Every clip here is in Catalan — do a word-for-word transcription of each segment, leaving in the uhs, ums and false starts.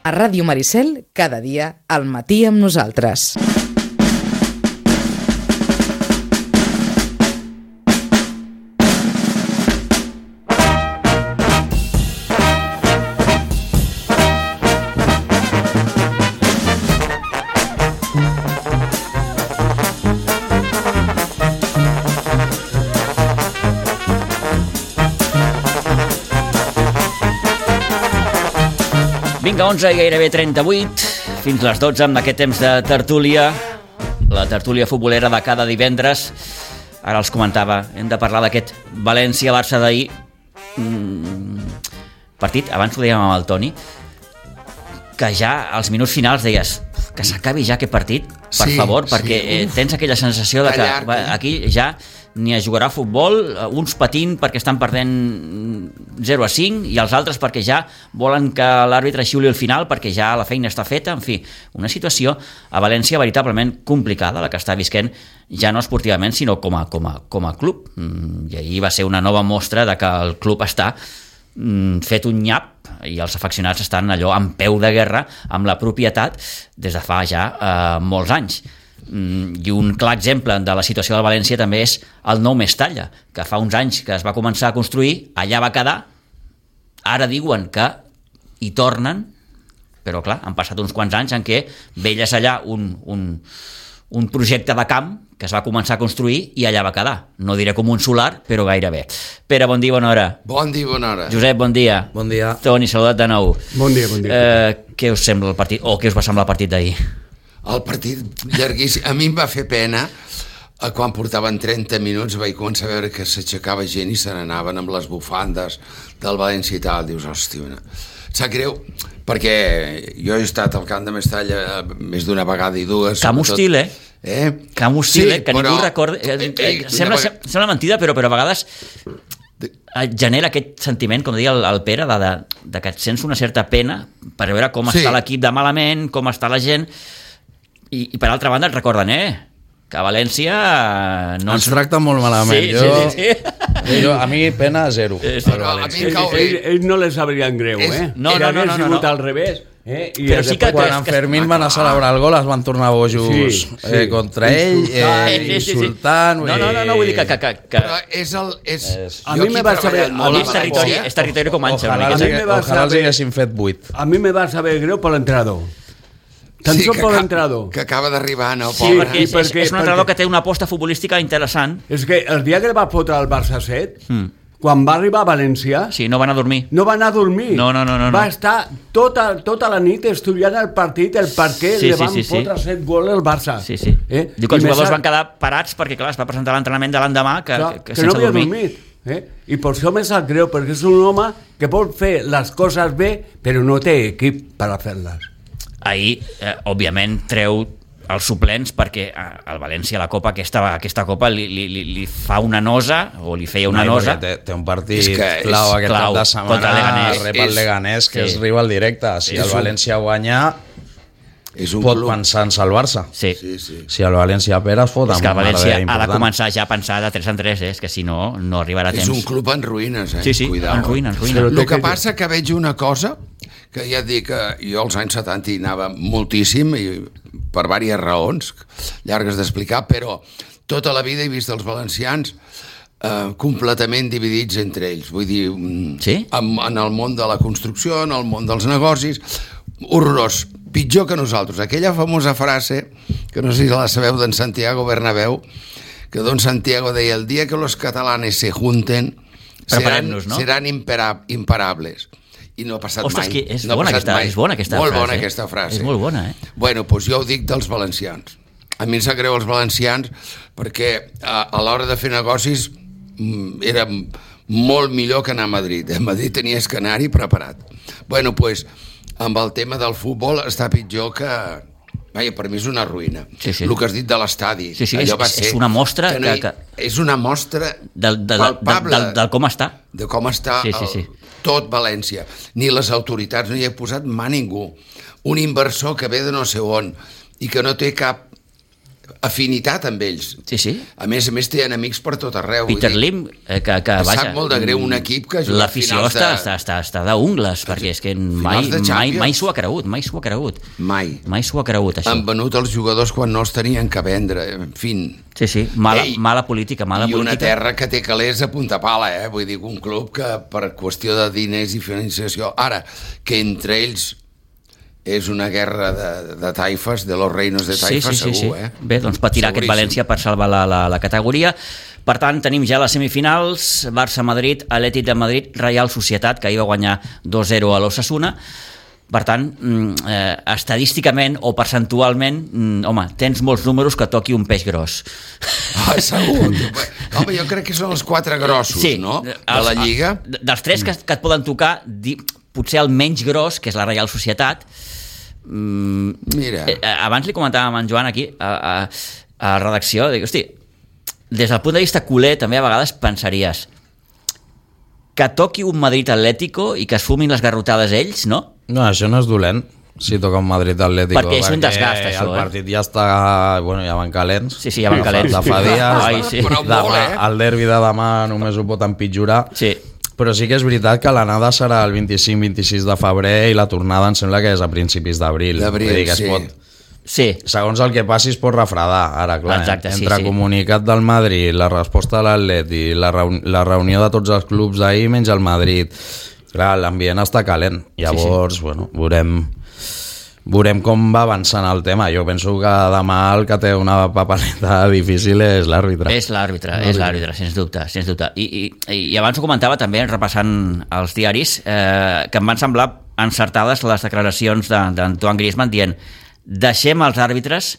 A Ràdio Maricel, cada dia, al matí amb nosaltres. Vinga, onze i gairebé trenta-vuit, fins les dotze amb aquest temps de tertúlia, la tertúlia futbolera de cada divendres. Ara els comentava, hem de parlar d'aquest València-Barça d'ahir. Mm, partit, abans ho dèiem amb el Toni, que ja als minuts finals deies que s'acabi ja aquest partit, per sí, favor, sí, perquè eh, tens aquella sensació de que llarg, eh? aquí ja ni a jugarà a futbol, uns patint perquè estan perdent zero a cinc i els altres perquè ja volen que l'àrbitre xiuli al final perquè ja la feina està feta. En fi, una situació a València veritablement complicada, la que està visquent ja no esportivament, sinó com a, com a, com a club. I ahir va ser una nova mostra de que el club està fet un nyap i els afeccionats estan allò en peu de guerra amb la propietat des de fa ja eh, molts anys. I un clar exemple de la situació del València també és el nou Mestalla, que fa uns anys que es va començar a construir, allà va quedar, ara diuen que hi tornen, però clar, han passat uns quants anys en què veies allà un, un, un projecte de camp que es va començar a construir i allà va quedar. No diré com un solar, però gairebé. Pere, bon dia, bona hora. Bon dia, bona hora. Josep, bon dia. Bon dia. Toni, saludat de nou. Bon dia, bon dia. Eh, què us sembla el partit, o què us va semblar el partit d'ahir? El partit llarguíssim. A mi em va fer pena quan portaven trenta minuts, vaig començar a veure que s'aixecava gent i se n'anaven amb les bufandes del València i tal. Dius, hòstia, sap greu, perquè jo he estat al camp de Mestalla més d'una vegada i dues. Camp hostil, eh? Eh? Camp hostil, sí, eh? Que però... ningú recorda... Eh, eh, sembla, vegada... sembla mentida, però, però a vegades genera aquest sentiment, com deia el, el Pere, de, de, de que et sents una certa pena per veure com sí. està l'equip de malament, com està la gent... I, i per altra banda et recorden, eh? Que a València... No ens tracta molt malament. Sí, jo, sí, sí. Jo, a mi pena zero. Sí, però a mi Ells ell, ell no les sabrien greu, és... eh? No, no, no, no, no, no. al revés. Eh? I però sí que... Quan en Fermín van a celebrar el gol es van tornar bojos sí, sí. Eh, contra ell, eh, insultant... No, no, no, no, vull dir que... que, que, que... Però és el... És... és... A mi me va saber... A mi és territori, és territori com Anxa. Ojalà, ojalà, ojalà els haguessin fet vuit. A mi me va saber greu per l'entrenador. Tan sí, per l'entrenador. Que acaba d'arribar, no? Sí, perquè és, perquè, és un entrenador perquè... que té una aposta futbolística interessant. És que el dia que el va fotre al Barça set, mm. quan va arribar a València... Sí, no va anar a dormir. No va anar a dormir. No, no, no, no. Va estar tota, tota la nit estudiant el partit, el per què sí, li van sí, sí, fotre sí. set gols al Barça. Sí, sí. Eh? Diu que els jugadors van quedar parats perquè, clar, es va presentar l'entrenament de l'endemà que, clar, que, que, que sense no havia dormir. dormit. Eh? I per això me sap greu, perquè és un home que pot fer les coses bé, però no té equip per a fer-les. Ahir, eh, òbviament, treu els suplents perquè al València la Copa, aquesta, aquesta Copa li, li, li fa una nosa o li feia una no, nosa. Té, té un partit clau aquest clau, cap de setmana, rep el Leganés, que sí. és rival directe. Si el València guanya, és un pot club. Pensar en salvar-se. Sí. Sí, sí. Si el València perd, es fot amb és que el València ha de començar ja a pensar de tres en tres, eh? És que si no, no arribarà a temps. És un club en ruïnes, eh? Sí, sí, Cuidao. en ruïna, en ruïna. El que passa que veig una cosa, que ja et dic que jo als anys setanta hi anava moltíssim, i per diverses raons, llargues d'explicar, però tota la vida he vist els valencians eh, completament dividits entre ells. Vull dir, sí? en, en el món de la construcció, en el món dels negocis, horrorós. Pitjor que nosaltres. Aquella famosa frase, que no sé si la sabeu, d'en Santiago Bernabéu, que don Santiago deia, el dia que los catalanes se junten seran, no? seran impera, imparables. I no ha passat Ostres, mai. És, no bona aquesta, mai. és bona aquesta molt frase. Molt bona aquesta frase. És molt bona, eh? Bueno, doncs jo ho dic dels valencians. A mi em sap greu els valencians perquè a, a l'hora de fer negocis era molt millor que anar a Madrid. A Madrid tenies que anar-hi preparat. Bueno, doncs, amb el tema del futbol està pitjor que... Vaja, per mi és una ruïna. Sí, sí. El que has dit de l'estadi. Sí, sí, és, va ser és una mostra... que no hi, que, que... És una mostra del, del, palpable del, del, del com està. De com està sí, sí, sí. El, tot València. Ni les autoritats, no hi ha posat mà ningú. Un inversor que ve de no sé on i que no té cap afinitat amb ells. Sí, sí. A més a més, tenen amics per tot arreu. Peter Lim, eh, que, que vaja... Sap molt de greu un equip que juga l'afició finals de... està, està, està, està d'ungles, perquè és que mai, mai, mai s'ho ha cregut, mai s'ho ha cregut. Mai. Mai s'ho ha cregut, això. Han venut els jugadors quan no els tenien que vendre, en fi. Sí, sí, mala, Ei, mala política, mala i política. una terra que té calés a punta pala, eh? Vull dir, un club que per qüestió de diners i financiació... Ara, que entre ells és una guerra de, de taifes, de los reinos de taifes, sí, sí, segur, sí, sí. eh? Bé, doncs patirà aquest València per salvar la, la, la categoria. Per tant, tenim ja les semifinals, Barça-Madrid, Atlètic de Madrid, Real Societat, que ahir va guanyar dos a zero a l'Osasuna. Per tant, eh, estadísticament o percentualment, mm, home, tens molts números que toqui un peix gros. Ah, segur. Home, jo crec que són els quatre grossos, sí, no?, de els, la Lliga. Dels tres que, que et poden tocar, di, potser el menys gros, que és la Real Societat. Mm, Mira. Eh, abans li comentàvem a en Joan aquí, a, a, a la redacció, dic, hosti, des del punt de vista culer, també a vegades pensaries que toqui un Madrid Atlético i que es fumin les garrotades ells, no? No, això no és dolent, si toca un Madrid Atlético. Perquè és un desgast, això, el eh? partit ja està... Bueno, ja van calents. Sí, sí, ja van calents. De fa dies. Ai, sí. Demà, el derbi de demà només ho pot empitjorar. Sí. Però sí que és veritat que l'anada serà el vint-i-cinc vint-i-sis de febrer i la tornada em sembla que és a principis d'abril. D'abril, sí. Pot, sí. Segons el que passi es pot refredar. Ara, clar, exacte, entre sí, sí. comunicat del Madrid, la resposta de l'Atleti, la, reun la reunió de tots els clubs d'ahir menys el Madrid... Clar, l'ambient està calent. Llavors, sí, sí. bueno, veurem... Veurem com va avançant el tema. Jo penso que demà el que té una papereta difícil és l'àrbitre. És l'àrbitre, és l'àrbitre, sens dubte, sens dubte. I, i, I abans ho comentava també, repassant els diaris, eh, que em van semblar encertades les declaracions d'Antoine Griezmann dient deixem els àrbitres,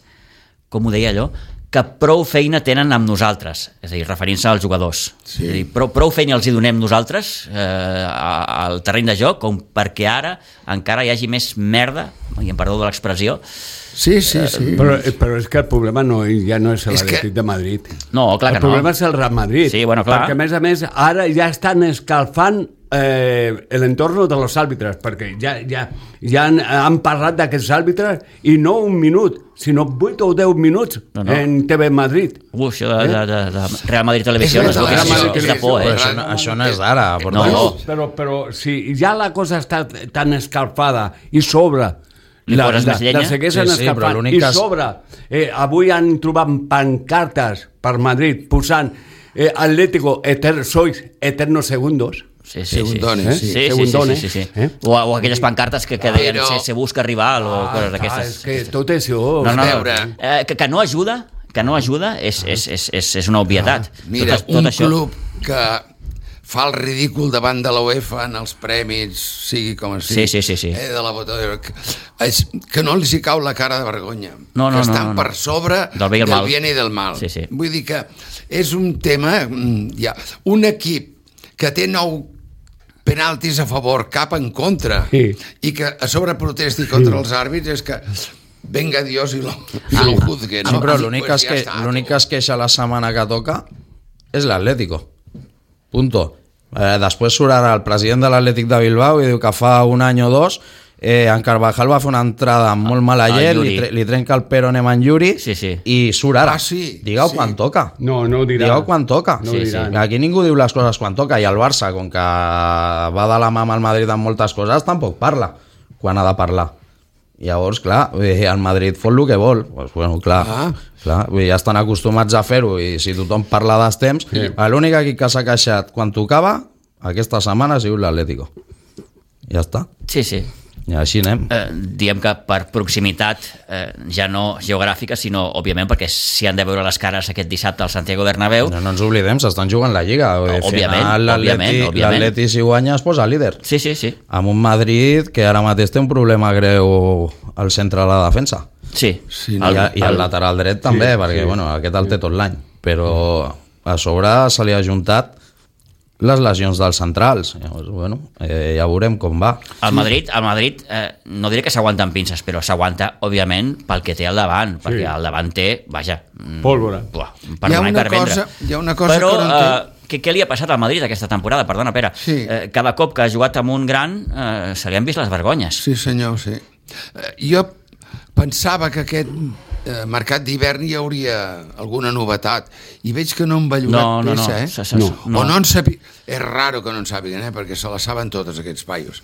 com ho deia allò, que prou feina tenen amb nosaltres, és a dir, referint-se als jugadors. Sí. És a dir, prou, prou feina els hi donem nosaltres eh, al terreny de joc com perquè ara encara hi hagi més merda, i em perdó de l'expressió. Sí, sí, sí. Però, però és que el problema no, ja no és l'Atlètic que... de Madrid. No, clar que no. El problema és el Real Madrid. Sí, bueno, clar. Perquè, a més a més, ara ja estan escalfant eh, l'entorn de los àrbitres, perquè ja, ja, ja han, han parlat d'aquests àrbitres i no un minut, sinó vuit o deu minuts no, no. en T V Madrid. Ui, això de, de, de, de Real Madrid Televisió és, no és, és, és, és de por, eh? Això no, això no és d'ara. No, no. Però, però si ja la cosa està tan escalfada i sobre... Li la, poses la, més llenya? la segueixen sí, sí, escapant i sobre eh, avui han trobat pancartes per Madrid posant eh, Atlético eter, sois eternos segundos. Sí, sí, Segundones, sí. sí. Sí, sí, sí, sí, sí. Eh? O, o aquelles pancartes que, que deien Però... se, se busca rival o ah, coses d'aquestes. És que tot això... No, no, veure... eh, que, que no ajuda, que no ajuda és, és, és, és, és una obvietat. Ah, mira, tot, tot un això... club que fa el ridícul davant de la UEFA en els prèmits, sigui com sigui, sí, sí, sí, sí. Eh, de la botella, que, és, que no els hi cau la cara de vergonya, no, no, que estan no, no, no. per sobre del bé i el del mal. bien i del mal. Sí, sí. Vull dir que és un tema, ja, un equip que té nou penaltis a favor, cap en contra, sí. i que a sobre protesti contra sí. els àrbits, és que venga Dios i lo, i lo juzgue, no? Sí, però l'únic pues que, ja que es queixa la setmana que toca és l'Atlético. Punto. Eh, després surt ara el president de l'Atlètic de Bilbao i diu que fa un any o dos eh, en Carvajal va fer una entrada amb molt mala llet, li, tre li trenca el peronem en Yuri sí, sí. i surt ara. Ah, sí, Digueu sí. quan toca. No, no ho dirà. Digueu quan toca. No sí, sí. Aquí ningú diu les coses quan toca i el Barça, com que va de la mà amb el Madrid en moltes coses, tampoc parla quan ha de parlar. Llavors, clar, el Madrid fot el que vol. Pues, bueno, clar, ah. clar, ja estan acostumats a fer-ho i si tothom parla dels temps, sí. l'únic equip que s'ha queixat quan tocava aquesta setmana ha sigut l'Atlético. Ja està. Sí, sí. I així anem. Eh, diem que per proximitat, eh, ja no geogràfica, sinó, òbviament, perquè s'hi han de veure les cares aquest dissabte al Santiago Bernabéu. No, no ens oblidem, s'estan jugant la Lliga. No, òbviament, òbviament, òbviament. L'Atleti, si guanya, es posa líder. Sí, sí, sí. Amb un Madrid que ara mateix té un problema greu al centre de la defensa. Sí. sí no? el, I, I el lateral dret també, sí, perquè sí. Bueno, aquest el té tot l'any. Però a sobre se li ha juntat les lesions dels centrals. Llavors, bueno, eh, ja veurem com va. El Madrid, el Madrid eh, no diré que s'aguanta amb pinces, però s'aguanta, òbviament, pel que té al davant, sí. perquè al davant té, vaja... Pólvora. Buah, per donar i per vendre. Hi ha una cosa però, que no entenc. Eh, què, què li ha passat al Madrid aquesta temporada? Perdona, Pere. Sí. Eh, cada cop que ha jugat amb un gran eh, se li han vist les vergonyes. Sí, senyor, sí. Eh, jo pensava que aquest eh, mercat d'hivern hi hauria alguna novetat. I veig que no han vallorat No, no, no. peça, eh? Se- se- No. no. O no en sabi... És raro que no en sàpiguen, eh? Perquè se la saben totes, aquests paios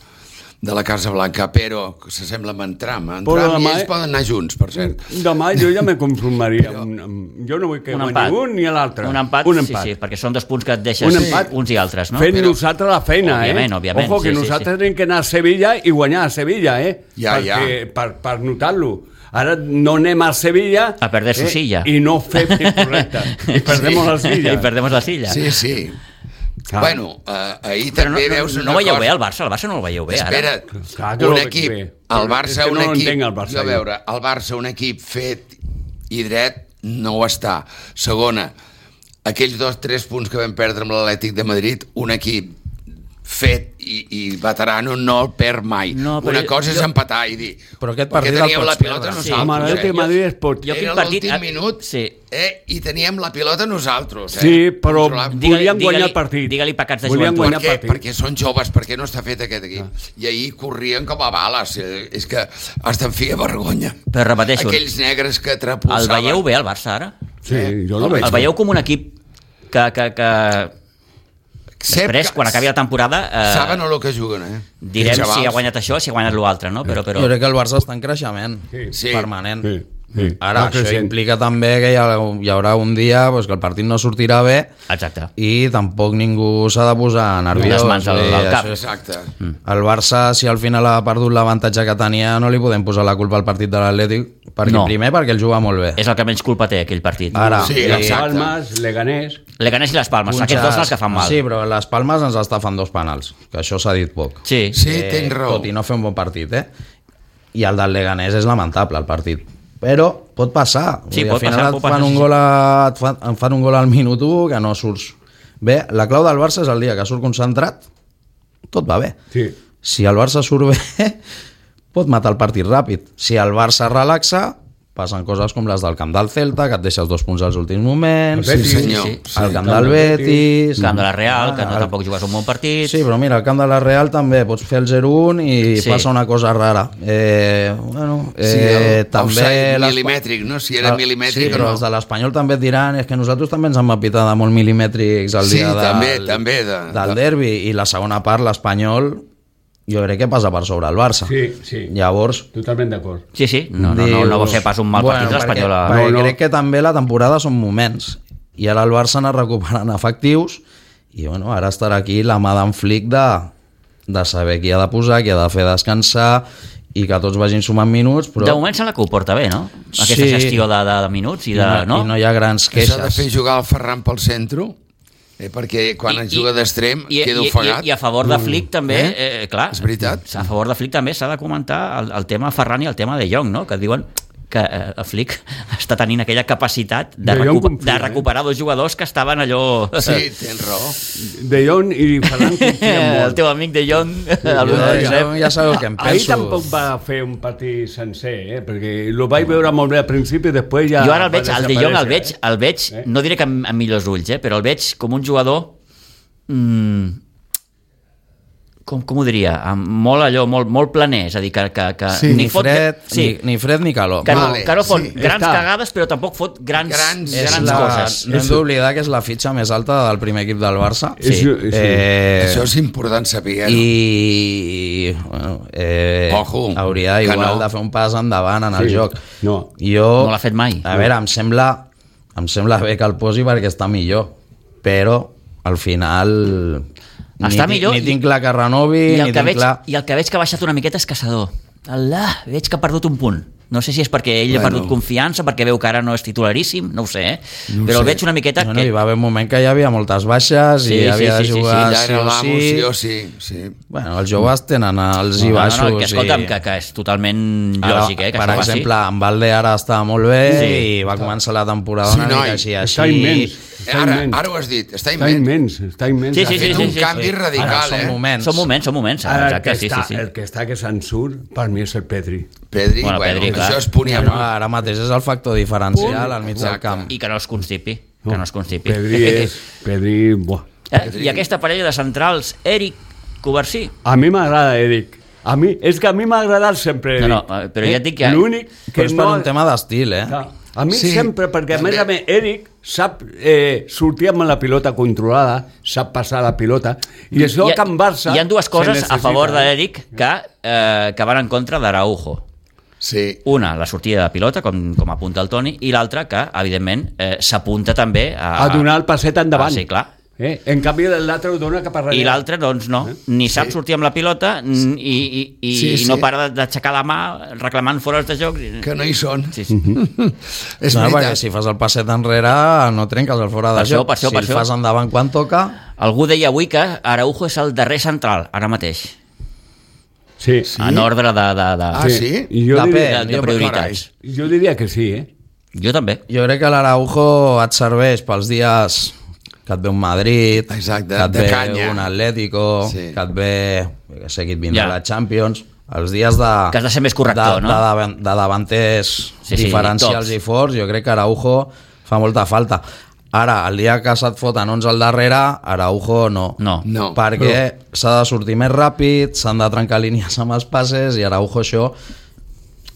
de la Casa Blanca, però s'assembla amb en Trump. En Però Trump demà- i ells poden anar junts, per cert. Demà jo ja me conformaria. Amb, amb, jo no vull que Un guanyi empat. un ni l'altre. Un empat, un sí, empat. sí, perquè són dos punts que et deixes Un empat. uns i altres, no? Fent Però- nosaltres la feina, Òbviament, eh? òbviament, Ojo, que sí, sí, nosaltres sí. tenim que anar a Sevilla i guanyar a Sevilla, eh? Ja, Perquè, ja. Per, per notar-lo. Ara no anem a Sevilla... A perder su silla. I no fem correcte. I perdem Sí. la silla. I perdemos la silla. Sí, sí. Ah. Bueno, eh, ahir Però no, també no, veus no, una no veieu cosa. bé el Barça? El Barça no el veieu bé, ara? Espera't, Clar que no un ho veig equip, bé. el És Barça, que un no equip, entenc el Barça, jo a jo. veure, el Barça, un equip fet i dret, no ho està. Segona, aquells dos, tres punts que vam perdre amb l'Atlètic de Madrid, un equip fet i, i veterano no el perd mai. No, però Una jo- cosa és jo- empatar i dir, Però aquest perquè partit el teníem pots la pilota perdre. Sí. Amb nosaltres. l'Atlètic de eh? Madrid es pot... Jo- Era quin partit- l'últim minut Sí. eh? i teníem la pilota nosaltres. Eh? Sí, però Controlant. Digue-li- volien guanyar digue-li- el partit. digue-li pecats de Volien joventut. guanyar Per el què? partit. Perquè són joves, perquè no està fet aquest equip. I ahir corrien com a bales. Eh, És que hasta em feia vergonya. Però repeteixo, Aquells negres que el trepolsaven. veieu bé, el Barça, ara? Sí, jo no veig. El veieu com un equip que, que, que Sep després, que- quan acabi la temporada, eh, Saben el que juguen, eh? direm Els si ha xavals. guanyat això, si ha guanyat l'altre, no? Però, però... Jo crec que el Barça està en creixement Sí. Sí. permanent. Sí, sí. Ara, Va això creixent. implica també que hi, ha, hi haurà un dia pues, que el partit no sortirà bé Exacte. i tampoc ningú s'ha de posar nerviós. Les mans al- Vull dir, al cap. això és- Exacte. El Barça, si al final ha perdut l'avantatge que tenia, no li podem posar la culpa al partit de l'Atlètic, perquè No. primer perquè el juga molt bé. És el que menys culpa té, aquell partit. Ara, Sí, i- exacte. Palmes, Leganés... Leganés i les Palmes, punxes- aquests dos són els que fan mal. Sí, però les Palmes ens està fan dos penals, que això s'ha dit poc. Sí. Sí, tens raó. Tot i no fer un bon partit, eh? I el del Leganés és lamentable, el partit. Però pot passar. Vull Sí, dir, pot al final passar, et pot fan passar, un sí, gol a, et fan, em fan un gol al minut u que no surts bé. La clau del Barça és el dia que surt concentrat, tot va bé. Sí. Si el Barça surt bé, pot matar el partit ràpid. Si el Barça relaxa, passen coses com les del camp del Celta, que et deixes dos punts als últims moments. El Betis. Sí, senyor. sí, Sí. El camp del Betis. El camp de la Real, que no Ah, tampoc jugues un bon partit. Sí, però mira, al camp de la Real també pots fer el zero un i Sí. passa una cosa rara. Eh, bueno, eh, Sí, el també... offside les- milimètric, no? Si era Ah, milimètric sí, o però no. els de l'Espanyol també et diran és que nosaltres també ens hem apitat de molt milimètrics el Sí, dia del, també, també, de- del de- derbi, i la segona part, l'Espanyol, jo crec que passa per sobre el Barça. Sí, sí. Llavors, Totalment d'acord. Sí, sí, no, no, no, no va fer pas un mal partit l'Espanyol. Perquè, a- perquè No, no. crec que també la temporada són moments i ara el Barça anar recuperant efectius i bueno, ara estarà aquí la mà d'en Flick de, de saber qui ha de posar, qui ha de fer descansar i que tots vagin sumant minuts, però De moment sembla que ho porta bé, no? Aquesta Sí. gestió de, de, de minuts i i, de... no, no? i no hi ha grans S'ha de queixes. fer jugar el Ferran pel centre, eh, perquè quan I- es juga i- d'extrem I, queda i, ofegat. i, I a favor de Flick també, Eh? eh? Eh, clar, És veritat. a favor de Flick també s'ha de comentar el, el tema Ferran i el tema de Jong, no? Que diuen que eh, el Flick està tenint aquella capacitat de, De Jong recuper, confia, de eh? recuperar dos jugadors que estaven allò... Sí, tens raó. De Jong i Ferran confien el molt. teu amic de Jong, el Jo, Josep. jo ja sabeu què em Ahir penso. tampoc va fer un partit sencer, eh? Perquè lo vaig veure molt bé al principi i després ja... Jo ara el va veig, el de Jong el veig, desaparèixer, el veig, Eh? no diré que amb, amb millors ulls, eh, però el veig com un jugador, mm, com, com ho diria, amb molt allò, molt, molt planer, és a dir, que, que, que Sí, Ni fred, sí, ni, ni fred ni calor. que, no, Vale, que no fot sí. grans Està. cagades, però tampoc fot grans, Grans- grans, És la, coses. no hem d'oblidar que és la fitxa més alta del primer equip del Barça. Sí. Sí. Sí. Eh, Això és important saber. No? i bueno, eh, Ojo, hauria que igual no. de fer un pas endavant en el Sí. joc. No. Jo, No l'ha fet mai. A veure, em sembla, em sembla bé que el posi perquè està millor, però al final Està ni, millor ni i- tinc clar que renovi, I ni el, que tinc veig, clar... I el que veig que ha baixat una miqueta és Caçador. Alà, veig que ha perdut un punt. No sé si és perquè ell Bueno. ha perdut confiança, perquè veu que ara no és titularíssim, no ho sé, eh? No ho però el sé. veig una miqueta Bueno, que... hi va haver un moment que hi havia moltes baixes Sí, i sí, havia sí, de sí, sí, jugar Ja sí, era o l'amo, sí. sí o sí. sí. Bueno, els joves tenen els i No, baixos. no, no, que escolta'm, i... que, que és totalment Ara, lògic, eh? Que per això passi. exemple, en Valde ara està molt bé Sí. i va començar la temporada Sí, una noi, mica així, Està així. immens. Està Ara, immens. ara ho has dit, està Està immens. immens, està immens. Sí, Ha sí, fet sí, un sí, canvi sí. radical, Ara són eh? moments. Són moments, són moments, Ara, el, exacte, que sí, està, sí, sí. el que està que se'n surt, per mi és el Pedri. Pedri, Bueno, bueno, Pedri, clar. això és punt i Bueno, amor. ara mateix és el factor diferencial al mig del Exacte. camp. I que no es constipi, que no es constipi. Pedri és... Pedri... Buah. Eh? I aquesta parella de centrals, Eric Covarsí. A mi m'agrada Eric. A mi, és que a mi m'ha agradat sempre No, Eric. no, però ja et dic que- L'únic Però que és per no... un tema d'estil, eh? Clar, a mi Sí, sempre, perquè a més també. a més Eric sap eh, sortir amb la pilota controlada, sap passar la pilota, i això Hi ha- que en Barça... Hi ha dues se coses a necessita. favor d'Eric que, eh, que van en contra d'Araujo. Sí. Una, la sortida de pilota, com, com apunta el Toni, i l'altra, que, evidentment, eh, s'apunta també a... A donar el passet endavant. Ah, sí, clar. Eh? En canvi, l'altre ho dona cap a darrere. I l'altre, doncs, no. Ni sap sortir amb la pilota n- i, i, i, Sí, sí. i no para d'aixecar la mà reclamant fora de joc. Que no hi són. Sí, sí. És No, perquè veritat. si fas el passet enrere no trenques el fora de Per això, joc. per això, si per el això. fas endavant quan toca... Algú deia avui que Araujo és el darrer central, ara mateix, Sí. Sí. en ordre de, de, de, Ah, sí? I jo, Depèn. diria, de, de jo- prioritats. jo diria que sí, eh? Jo també. Jo crec que l'Araujo et serveix pels dies que et ve un Madrid, Exacte, que et de ve canya. un Atlético, Sí. que et ve, jo què sé, qui et vindrà Ja. la Champions, els dies de... Que has de ser més corrector, de, no? De, davan- de davanters Sí, sí, diferencials tops. i forts, jo crec que Araujo fa molta falta. Ara, el dia que se't foten onze al darrere, Araujo no. No. No. Perquè s'ha de sortir més ràpid, s'han de trencar línies amb els passes i Araujo això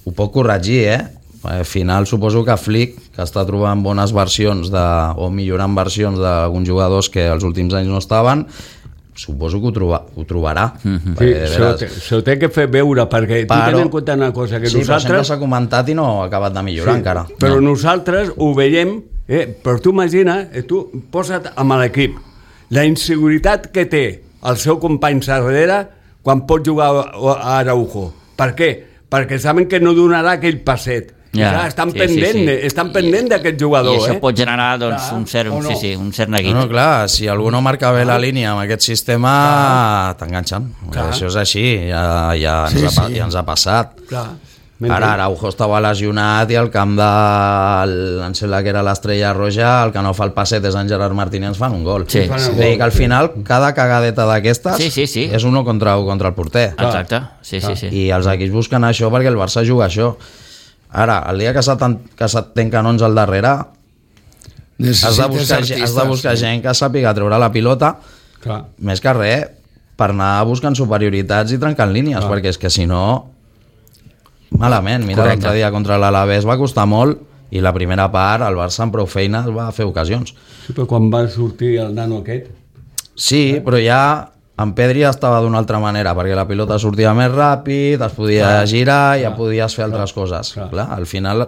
ho pot corregir, eh? Al final suposo que Flick, que està trobant bones versions de, o millorant versions d'alguns jugadors que els últims anys no estaven, suposo que ho, troba, ho trobarà. Mhm. Sí, Perquè, de se ho, veres, té, se ho té que fer veure, perquè tu Però- ten en compte una cosa, que sí, però sempre nosaltres... s'ha comentat i no ha acabat de millorar encara. Però No. nosaltres ho veiem, eh? Però tu imagina, eh, tu posa't amb l'equip, la inseguretat que té el seu company darrere quan pot jugar a Araujo. Per què? Perquè saben que no donarà aquell passet. Ja, Ja, estan sí, pendent, sí, sí. estan pendent d'aquest jugador. I això eh? pot generar doncs, Clar, un, cert, o no? sí, sí, un cert neguit. No, no, clar, si algú no marca bé la línia amb aquest sistema, t'enganxen. Clar. Això és així, ja, ja, ens Sí, ha, pa- sí. ja ens ha passat. Clar. Ara Araujo estava lesionat i al camp de... em sembla que era l'Estrella Roja, el que no fa el passet és en Gerard Martínez, ens fan un gol. Sí. Fan És un a dir, gol. que al final cada cagadeta d'aquestes Sí, sí, sí. és uno contra un contra el porter. Exacte, sí, sí, sí. I els equips busquen això perquè el Barça juga això. Ara, el dia que se't, que se't tanquen onze al darrere, has de, Necessites buscar, artistes, has de buscar sí. gent que sàpiga treure la pilota, Clar. més que res, per anar buscant superioritats i trencant línies, Clar. perquè és que si no... Malament, mira, Correcte. l'altre dia contra l'Alavés va costar molt i la primera part el Barça amb prou feines va fer ocasions. Sí, però quan va sortir el nano aquest... Sí, però ja en Pedri estava d'una altra manera, perquè la pilota sortia més ràpid, es podia Clar, girar, ja clar, podies fer altres clar, coses. clar. Clar, al final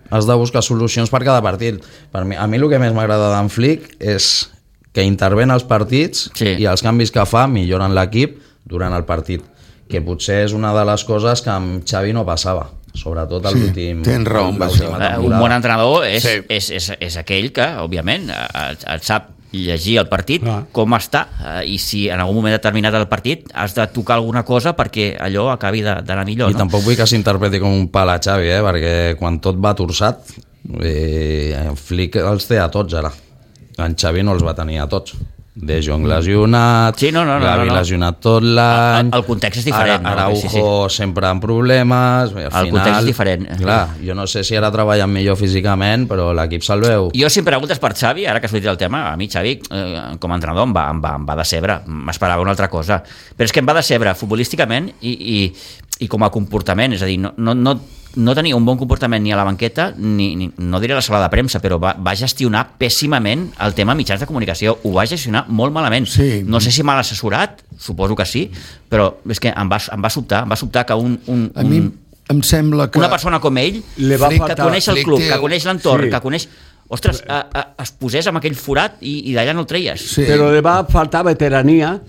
has de buscar solucions per cada partit. Per mi, a mi el que més m'agrada d'en Flick és que interven els partits Sí. i els canvis que fa milloren l'equip durant el partit, que potser és una de les coses que amb Xavi no passava, sobretot a Sí, l'últim tens raó amb l'última això. Eh, un temporada. bon entrenador és, Sí. és, és, és aquell que, òbviament, eh, et sap llegir el partit, Clar. com està, eh, i si en algun moment determinat del partit has de tocar alguna cosa perquè allò acabi de- d'anar millor. I No? tampoc vull que s'interpreti com un pal a Xavi, eh? perquè quan tot va torçat, eh, en Flick els té a tots ara. En Xavi no els va tenir a tots. De Jong lesionat, Sí, no, no, no, Gavi no, no. lesionat tot l'any... El- el context és diferent, no? Ara, Araujo Sí, sí. sempre amb problemes... Al El final, context és diferent. Clar, jo no sé si ara treballen millor físicament, però l'equip se'l veu. Jo, si em preguntes per Xavi, ara que has dit el tema, a mi Xavi, eh, com a entrenador, em va, em va, em va decebre. M'esperava una altra cosa. Però és que em va decebre futbolísticament i, i, i com a comportament. És a dir, no, no, no, no tenia un bon comportament ni a la banqueta, ni, ni no diré a la sala de premsa, però va, va gestionar pèssimament el tema mitjans de comunicació. Ho va gestionar molt malament. Sí. No sé si mal assessorat, suposo que sí, però és que em va, em va sobtar, em va sobtar que un, un, A mi un, em sembla que... una persona com ell, Li va que faltar- coneix el Flick club, té- que coneix l'entorn, Sí. que coneix... Ostres, a, a, es posés amb aquell forat i, i d'allà no el treies. Sí. Però li va faltar veterania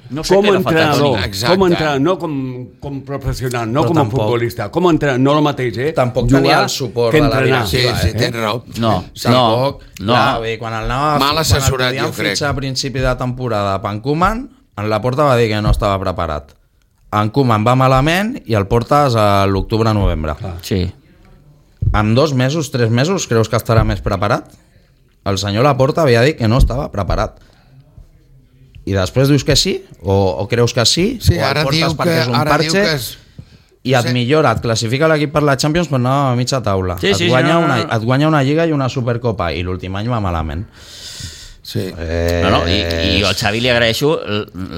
No sé com què li va faltar, entrenador, Toni. Exacte. com entrenador, no com, com professional, no Però com a tampoc- futbolista, com a entrenador, no el mateix, eh? Tampoc Jugar tenia el suport que de la entrenar. Sí, directiva, sí, eh? tens raó. No, Tampoc, no, no. Clar, vull dir, quan el anava, Mal assessorat, quan el jo podien crec. fitxar a principi de temporada per en Koeman, en la Porta va dir que no estava preparat. En Koeman va malament i el portes a l'octubre-novembre. Sí. En dos mesos, tres mesos, creus que estarà més preparat? El senyor Laporta havia dit que no estava preparat. I després dius que sí? O, o creus que sí? Sí, o el ara portes diu perquè que, és un ara diu parche que és... i et Sí. millora, et classifica l'equip per la Champions però no a mitja taula. Sí, sí, et, guanya sí, no, no, una, no. et guanya una Lliga i una Supercopa i l'últim any va malament. Sí. Eh, No, no, i, i jo al Xavi li agraeixo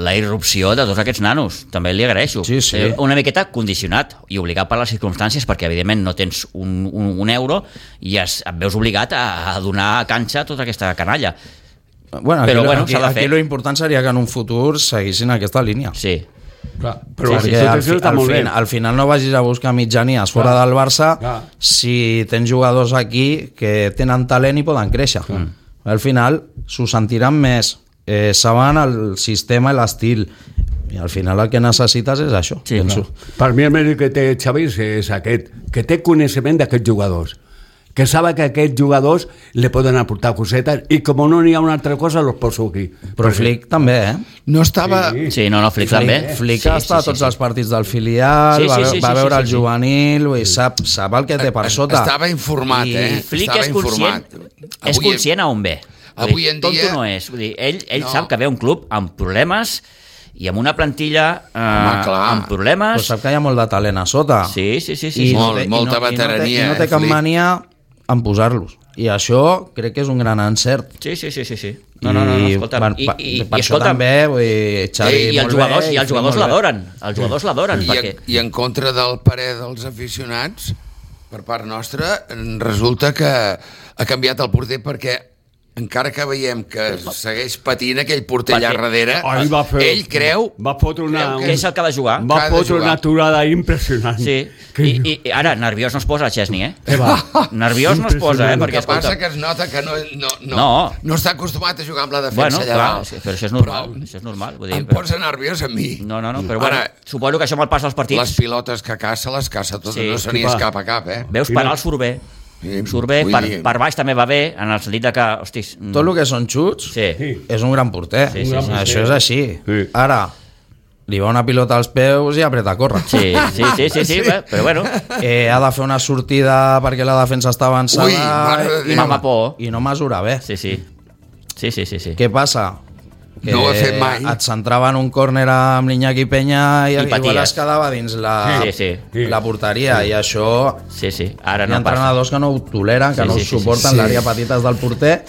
la irrupció de tots aquests nanos, també li agraeixo. Sí, sí. Eh, Una miqueta condicionat i obligat per les circumstàncies, perquè evidentment no tens un, un, un euro i es, et veus obligat a, a donar canxa a tota aquesta canalla. Bueno, aquí, Però, bueno, aquí, s'ha de aquí fer. lo important seria que en un futur seguissin aquesta línia. Sí, Clar, però Perquè sí, al, sí, fi, està al, molt bé. fin, al final no vagis a buscar mitjanies fora Clar. del Barça Clar. si tens jugadors aquí que tenen talent i poden créixer. Mm. Al final s'ho sentiran més, eh, saben el sistema i l'estil, i al final el que necessites és això. Sí, penso. Per mi el mèrit que té Xavi és aquest, que té coneixement d'aquests jugadors, que sabe que aquests jugadors li poden aportar cosetes i com no n'hi ha una altra cosa los poso aquí. Però Flick també, eh? No estava... Sí. sí, no, no, Flick també. Flick sí, ha estat a tots els partits del filial, Sí, sí, va, sí, va sí, veure sí, el sí, sí. juvenil, vull dir, sap, sap el que té per sota. Estava informat, I eh? Flick Estava és conscient, informat. és Avui- conscient a on ve. Vull avui dir, en tonto dia- no és. Vull dir, ell ell No. sap que ve un club amb problemes i amb una plantilla eh, Home, clar. amb problemes. Però sap que hi ha molt de talent a sota. Sí, sí, sí. sí, I sí. Molt, no té- molta i no, veterania, I no té, i no té eh, cap Flick. mania en posar-los. I això crec que és un gran encert. Sí, sí, sí, sí, sí. No, no, no, no, escolta. per, I, per, i, per i, això escolta, també, vull dir, Xavi, i, i els molt jugadors, bé, i els Flick jugadors molt bé. l'adoren. Els jugadors l'adoren, I, perquè... en, I en contra del parer dels aficionats, per part nostra, resulta que ha canviat el porter perquè encara que veiem que segueix patint aquell porter allà Perquè- darrere, Ahir va fer- ell creu... va fotre una- creu Que és el que ha de jugar. Va Que ha de fotre jugar. una aturada impressionant. Sí, Que- I, i ara nerviós no es posa Chesney, eh? Què va? Nerviós no es posa, eh? El Perquè, que passa escolta, que es nota que no, no, no, No. no està acostumat a jugar amb la defensa bueno, allà clar, dalt. sí, però això és normal, Però això és normal. Vull dir, em però... posa nerviós a mi. No, no, no, però bueno, Ara, suposo que això amb el pas dels les partits pilotes que caça, les caça totes, Sí, no se n'hi sí, va. escapa cap, eh? veus I parar no- el surt bé. Sí, Surt bé, vull per, dir- per baix també va bé, en el sentit de que, hostis... mm, Tot el que són xuts Sí, Sí. és un gran porter. Sí, sí, sí. Això és així. Sí. Ara, li va una pilota als peus i apreta a córrer. sí, sí, sí, sí, sí, bé, però bueno, Eh, ha de fer una sortida perquè la defensa està avançada Ui, mare de i, Déu. no, Mama por. i no mesura bé. sí, sí. Sí, sí, sí, sí. Què passa? Que No ho ha fet mai. et centrava en un córner amb l'Iñaki Peña i, I igual paties. es quedava dins la, Sí, sí. Sí. la porteria i això Sí, sí, ara hi ha no passa. entrenadors que no ho toleren, que Sí, no sí, ho sí, sí. suporten Sí. l'àrea petites del porter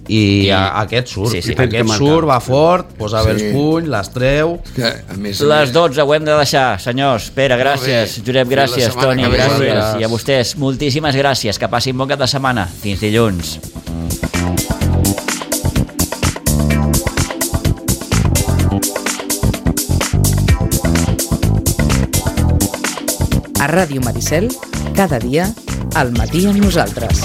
i, I- a, aquest surt, sí, sí. I aquest Marcar. surt, va fort, posa bé Sí. els punys, les treu. Que, a més, a Les més, dotze ho hem de deixar, senyors. Pere, gràcies. bé. Josep, Fins la gràcies. setmana Toni, que ve. gràcies. Gràcies. I a vostès, moltíssimes gràcies. Que passin bon cap de setmana. Fins dilluns. A Ràdio Maricel, cada dia, al matí amb nosaltres.